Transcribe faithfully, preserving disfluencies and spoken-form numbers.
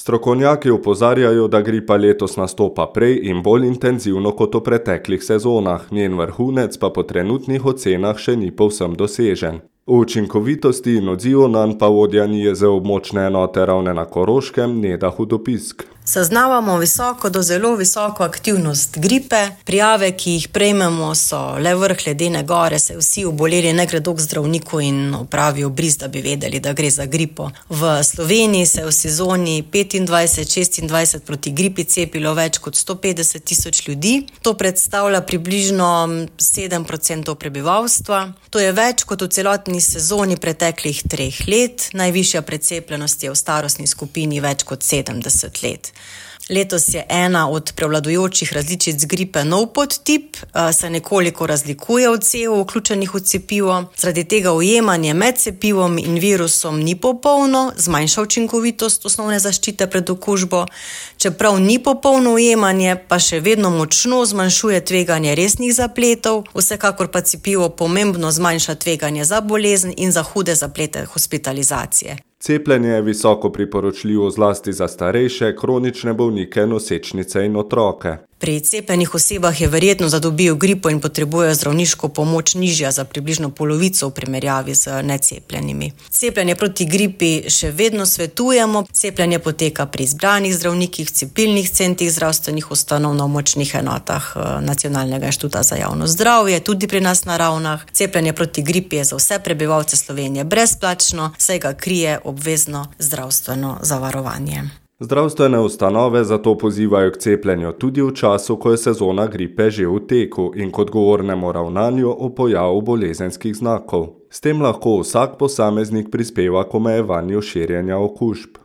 Strokovnjaki opozarjajo, da gripa letos nastopa prej in bolj intenzivno kot v preteklih sezonah, njen vrhunec pa po trenutnih ocenah še ni povsem dosežen. O učinkovitosti in odzivu nanj pa vodja N I E Z območne enote Ravne na Koroškem Neda Hudopisk. Zaznavamo visoko do zelo visoko aktivnost gripe. Prijave, ki jih prejmemo, so le vrh ledene gore, se vsi oboleli ne gredo k zdravniku in opravijo bris, da bi vedeli, da gre za gripo. V Sloveniji se je v sezoni petindvajset šestindvajset proti gripi cepilo več kot sto petdeset tisoč ljudi. To predstavlja približno sedem procentov prebivalstva. To je več kot v celotni sezoni preteklih treh let. Najvišja precepljenost je v starostni skupini več kot sedemdeset let. Letos je ena od prevladujočih različic gripe nov podtip, se nekoliko razlikuje od cev vključenih v cepivo. Zaradi tega ujemanje med cepivom in virusom ni popolno, zmanjša učinkovitost osnovne zaščite pred okužbo. Čeprav ni popolno ujemanje, pa še vedno močno zmanjšuje tveganje resnih zapletov, vsekakor pa cepivo pomembno zmanjša tveganje za bolezen in za hude zaplete hospitalizacije. Cepljenje je visoko priporočljivo zlasti za starejše, kronične bolnike, nosečnice in otroke. Pri cepljenih osebah je verjetno, da dobijo gripo in potrebujejo zdravniško pomoč nižja za približno polovico v primerjavi z necepljenimi. Cepljenje proti gripi še vedno svetujemo. Cepljenje poteka pri izbranih zdravnikih, cepilnih centrih zdravstvenih ustanov na območnih enotah Nacionalnega inštituta za javno zdravje, tudi pri nas na Ravnah. Cepljenje proti gripi je za vse prebivalce Slovenije brezplačno, saj ga krije obvezno zdravstveno zavarovanje. Zdravstvene ustanove zato pozivajo k cepljenju tudi v času, ko je sezona gripe že v teku in k odgovornemu ravnanju o pojavu bolezenskih znakov. S tem lahko vsak posameznik prispeva k omejevanju širjenja okužb.